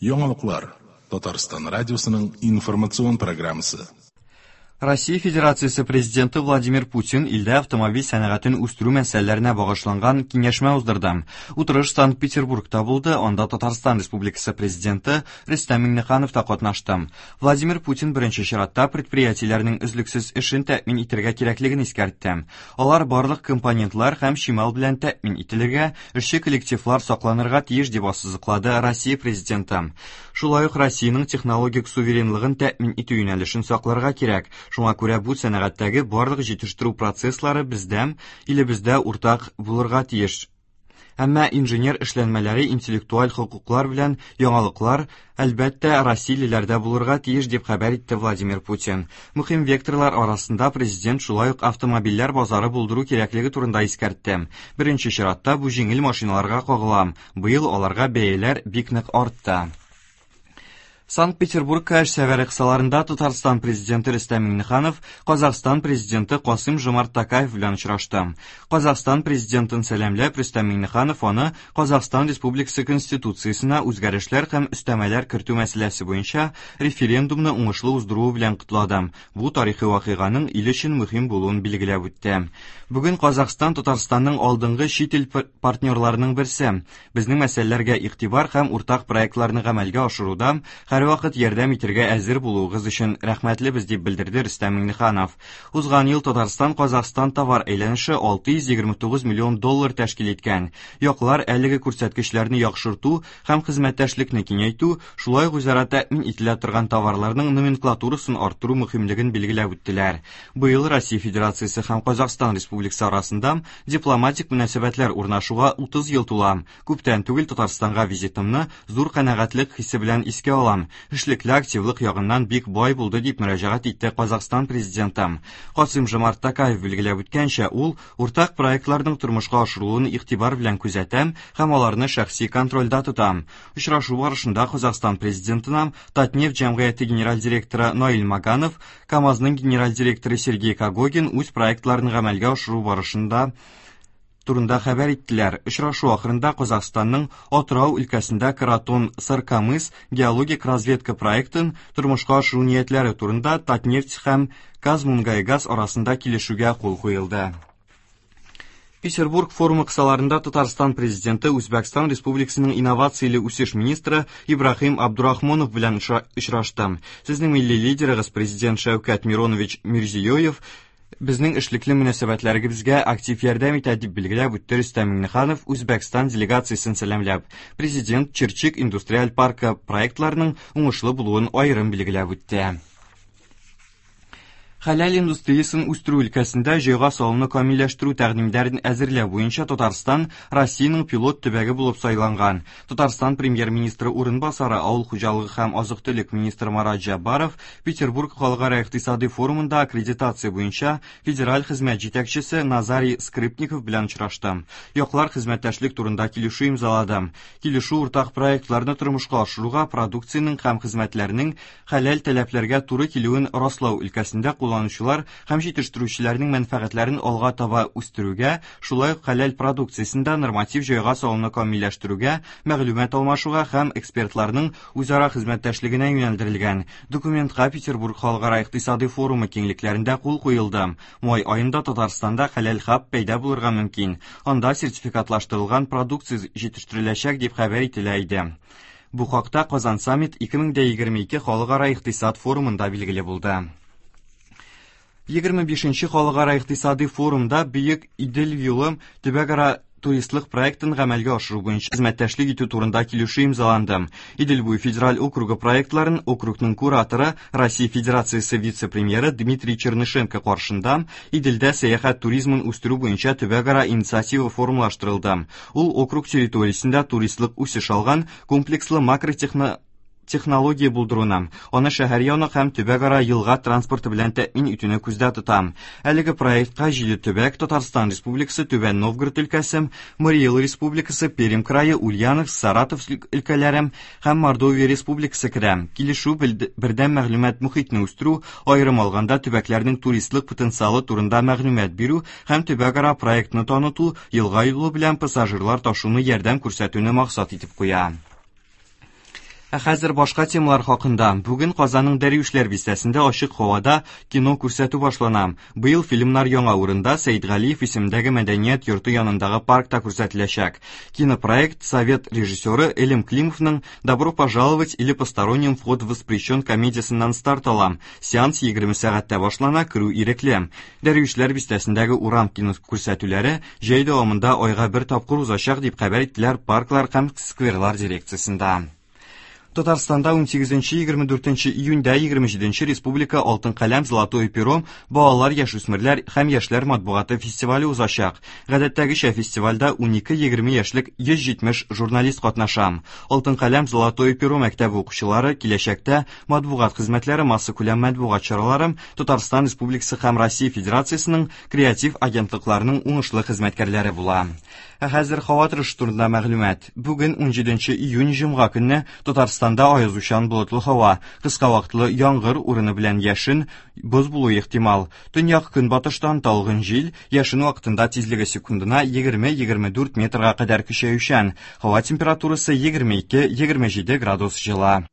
Яңалыклар. Татарстан радиосының информацион программасы. Россия Федерациясе Президенты Владимир Путин илдә автомобиль сәнәгатен үстерү мәсьәләләренә багышланган киңәшмә уздырды. Утырыш Санкт-Петербургта булды, анда Татарстан Республикасы Президенты Рөстәм Миңнеханов та катнашты. Владимир Путин беренче чиратта предприятиеләрнең өзлексез эшен тәэмин итәргә кирәклеген искәртте. Алар барлык компонентлар һәм чимал белән тәэмин ителергә, эшче коллективлар сакланырга тиеш, дип ассызыклады Россия Президенты. Шулай ук Россиянең технологик суверенлыгын тәэмин итү юнәлешен сакларга кирәк. Шуңа күрә бу сәнәгатьтәге барлык җитештерү процесслары бездә, илебездә уртак булырга тиеш. Әмма инженер эшләнмәләре интеллектуаль хокуклар белән яңалыклар, әлбәттә, россиялеләрдә булырга тиеш, дип хәбәр итте Владимир Путин. Мөһим векторлар арасында президент шулай ук автомобильләр базары булдыру кирәклеге турында искәртте. Беренче чиратта бу җиңел машиналарга кагыла. Быел аларга бәяләр бик нык артты. Санкт-Петербургка эш сәфәре кысаларында Татарстан президенты Рөстәм Миңнеханов Казахстан президенты Касым Жомарт Токаев белән очрашты. Казахстан президентын сәламләп, Рөстәм Миңнеханов аны Казахстан Республикасы Конституциясенә үзгәрешләр һәм өстәмәләр кертү мәсьәләсе буенча референдумны уңышлы уздыруы белән котлады. Бу тарихи вакыйганың ил өчен мөһим булуын билгеләп үтте. Бүген Казахстан Татарстанның алдынгы чит ил партнерларының берсе. Безнең мәсьәләләргә игътибар һәм уртак проектларны гамәлгә ашыруда һәрвакыт ярдәм итәргә әзер булуыгыз өчен рәхмәтлебез, дип белдерде Рөстәм Миңнеханов. Узган ел Татарстан-Казахстан товар әйләнеше 629 миллион доллар тәшкил иткән. Яклар әлеге күрсәткечләрне яхшырту һәм хезмәттәшлекне киңәйтү, шулай ук үзара тәэмин ителә торган товарларның номенклатурасын арттыру мөһимлеген билгеләп үттеләр. Быел Россия Федерациясе һәм Казахстан Республикасы арасында дипломатик мөнәсәбәтләр урнашуга 30 ел тула. Күптән түгел Татарстанга визитымны зур канәгатьлек хисе белән искә алам. Эшлекле активлык ягыннан бик бай булды, дип мөрәҗәгать итте Казахстан президенты. Касыйм-Жомарт Токаев билгеләп үткәнчә, ул уртак проектларның тормышка ашырылуын игътибар белән күзәтә һәм аларны шәхси контрольдә тота. Очрашу барышында Казахстан президентына Татнефть җәмгыяте генераль директоры Наил Маганов, КАМАЗның генераль директоры Сергей Когогин үз проектларын гамәлгә ашыру барышында турында хәбәр иттеләр. Очрашу ахырында Казахстанның Атырау өлкәсендә Каратон Саркамыс геологик разведка проектын тормышка ашыру ниятләре турында Татнефть һәм Казмунгайгаз арасында килешүгә кул куелды. Петербург форумы кысаларында Татарстан президенты Үзбәкстан Республикасының инновацияле үсеш министры Ибраһим Абдурахмонов белән очрашты. Сезнең милли лидерыгыз президент Шәүкәт Миронович Мирзиёев безнең эшлекле мөнәсәбәтләребезгә актив ярдәм итә, дип билгеләп үтте Рөстәм Миңнеханов Үзбәкстан делегациясен сәламләп. Президент Чирчик индустриаль паркы проектларының уңышлы булуын аерым билгеләп үтте. Хәләл индустриясен үстерү өлкәсендә җайга салуны камилләштерү тәкъдимнәрен әзерләү буенча Татарстан Россиянең пилот төбәге булып сайланган. Татарстан премьер-министры урынбасары, авыл хуҗалыгы һәм азык-төлек министры Марат Җәббаров Петербург халыкара икътисадый форумында аккредитация буенча федераль хезмәт җитәкчесе Назарий Скрипников белән очрашты. Яклар хезмәттәшлек турында килешү имзалады. Килешү уртак проектларны тормышка ашыруга продукциянең һәм хезмәтләрнең хәләл таләпләргә туры килүен раслау өлкәсендә кулланучылар һәм җитештерүчеләрнең мәнфәгатьләрен алга таба үстерүгә, шулай ук хәләл продукциясендә норматив җайга салуны камилләштерүгә, мәгълүмат алмашуга һәм экспертларның үзара хезмәттәшлегенә юнәлдерелгән. Документка Петербург халыкара икътисадый форумы киңлекләрендә кул куелды. Май аенда Татарстанда хәләл хаб пәйда булырга мөмкин. Анда сертификатлаштырылган продукция җитештереләчәк дип хәбәр ителә иде. Бу хакта Казан Саммит 2022 халыкара икътисад форумында билгеле булды. 25 халыкара икътисади форумда Бөек Идел юлы төбәкара туристлык проектын гамәлгә ашыру буенча хезмәттәшлек итү турында килешү имзаланды. Идел буе федераль округы проектларын округның кураторы, Россия Федерациясе вице-премьеры Дмитрий Чернышенко каршында Иделдә сәяхәт туризмын үстерү буенча төбәкара инициатива формалаштырылды. Ул округ территориясендә туристлык үсеш алган комплекслы макротехно Технология булдыруны, аны шәһәр яны һәм төбәкара елга транспорты белән тәэмин итүне күздә тота. Әлеге проектка җиде төбәк, Татарстан Республикасы, Түбән Новгород өлкәсе, Марий Эл Республикасы, Пермь крае, Ульяновск, Саратов өлкәләре һәм Мордовия Республикасы керә. Килешү бердәм мәгълүмат мохитне үстерү, аерым алганда төбәкләрнең туристлык потенциалы турында мәгълүмат бирү һәм төбәкара проектны таныту, елга юлы белән пассажирлар ташуны ярдәм күрсәтүне максат итеп куя. Ә хәзер башка темалар хакында. Бүген Казанның Дәрвишләр бистәсендә ачык һавада кино күрсәтү башлана. Быел фильмнар яңа урында Сәидгалиев исемендәге мәдәният йорты янындагы паркта күрсәтеләчәк. Кинопроект совет режиссеры Элем Климовның «Добро пожаловать» или «Посторонним вход воспрещен» комедиясеннән старт ала. Сеанс 20 сәгатьтә башлана, керү ирекле. Дәрвишләр бистәсендәге урам кино күрсәтүләре җәй дәвамында айга бер тапкыр узачак, дип хәбәр иттеләр парклар һәм скверлар дирекциясендә. Татарстанда 18-24 июньдә 27 республика Алтын каләм Золотое перо балалар, яшүсмерләр һәм яшьләр матбугаты фестивале узачак. Гадәттәгечә фестивальдә 12-20 яшьлек 170 журналист катнаша. Алтын каләм Золотое перо мәктәбе укучылары киләчәктә матбугат хезмәтләре, массакүләм матбугат чаралары, Татарстан Республикасы һәм Россия Федерациясенең креатив агентлыкларының уңышлы хезмәткәрләре була. Ә хәзер һава торышы турында мәгълүмат. Бүген 17 июнь җомга көнне Татарстанда аязучан болытлы һава, кыска вакытлы яңгыр урыны белән яшен, боз булуы ихтимал. Төньяк көнбатыштан талгын җил, яшен вакытында тизлеге секундына 20-24 метрга кадәр көчәючән. Һава температурасы 22-27 градус җылы.